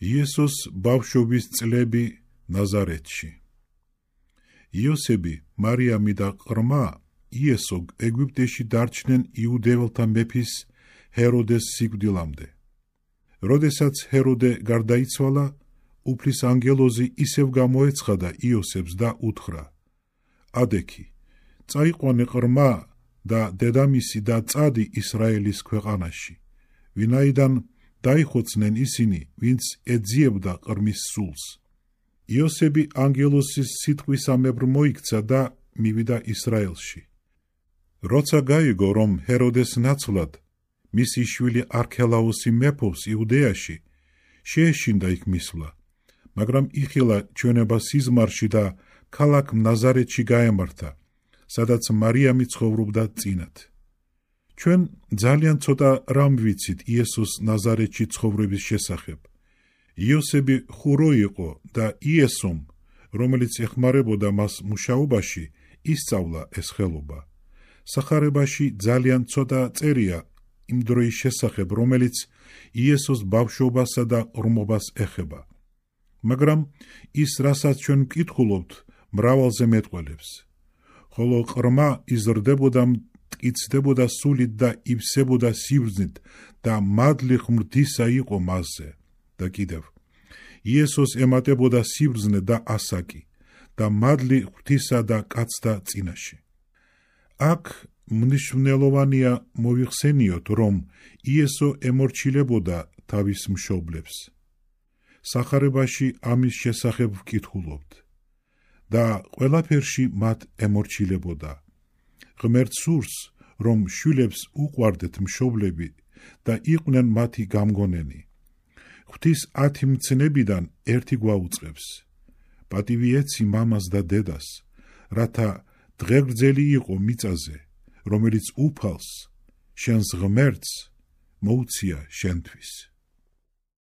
იესოს ბავშვობის წლები ნაზარეთში. იოსები, მარიამი და ყრმა იესო ეგვიპტეში დარჩნენ იუდეველთა მეფის ჰეროდეს სიკვდილამდე. როდესაც ჰეროდე გარდაიცვალა, უფლის ანგელოზი ისევ გამოეცხადა იოსებს და უთხრა: „ადექი, წაიყვანე ყრმა და დედამისი და წადი ისრაელის ქვეყანაში, ვინაიდან დაიხოცნენ ისინი, ვინც ეძიებდა ყრმის სულს“. იოსები ანგელოზის სიტყვისამებრ მოიქცა და მივიდა ისრაელში. როცა გაიგო, რომ ჰეროდეს ნაცვლად მისი შვილი არქელაუსი მეფობს იუდეაში, შეეშინდა იქ მისვლა, მაგრამ იხილა ჩვენება სიზმარში და ქალაქ ნაზარეთში გაემართა, სადაც მარიამი ცხოვრობდა წინათ. ჩვენ ძალიან ცოტა რამ ვიცით იესოს ნაზარეთში ცხოვრების შესახებ. იოსები ხურო იყო და იესომ, რომელიც ეხმარებოდა მას მუშაობაში, ისწავლა ეს ხელობა. სახარებაში ძალიან ცოტა წერია იმ დროის შესახებ, რომელიც იესოს ბავშვობასა და ყრმობას ეხება. მაგრამ ის, რასაც ჩვენ ვკითხულობთ, მრავალზე მეტყველებს. ხოლო ყრმა იზრდებოდა, მტკიცდებოდა სულით და ივსებოდა სიბრძნით და მადლი ღმრთისა იყო მასზე. და კიდევ, იესოს ემატებოდა სიბრძნე და ასაკი და მადლი ღვთისა და კაცთა წინაშე. აქ მნიშვნელოვანია მოვიხსენიოთ, რომ იესო ემორჩილებოდა თავის მშობლებს. სახარებაში ამის შესახებ ვკითხულობთ და ყველაფერში მათ ემორჩილებოდა. ღმერთ სურს, რომ შვილებს უყვარდეთ მშობლები და იყვნენ მათი გამგონენი. ღვთის 10 მცნებიდან ერთი გვაუწყებს: პატივი ეცი მამას და დედას, რათა დღეგრძელი იყო მიწაზე, რომელიც უფალს, შენს ღმერთს მოუცია შენთვის.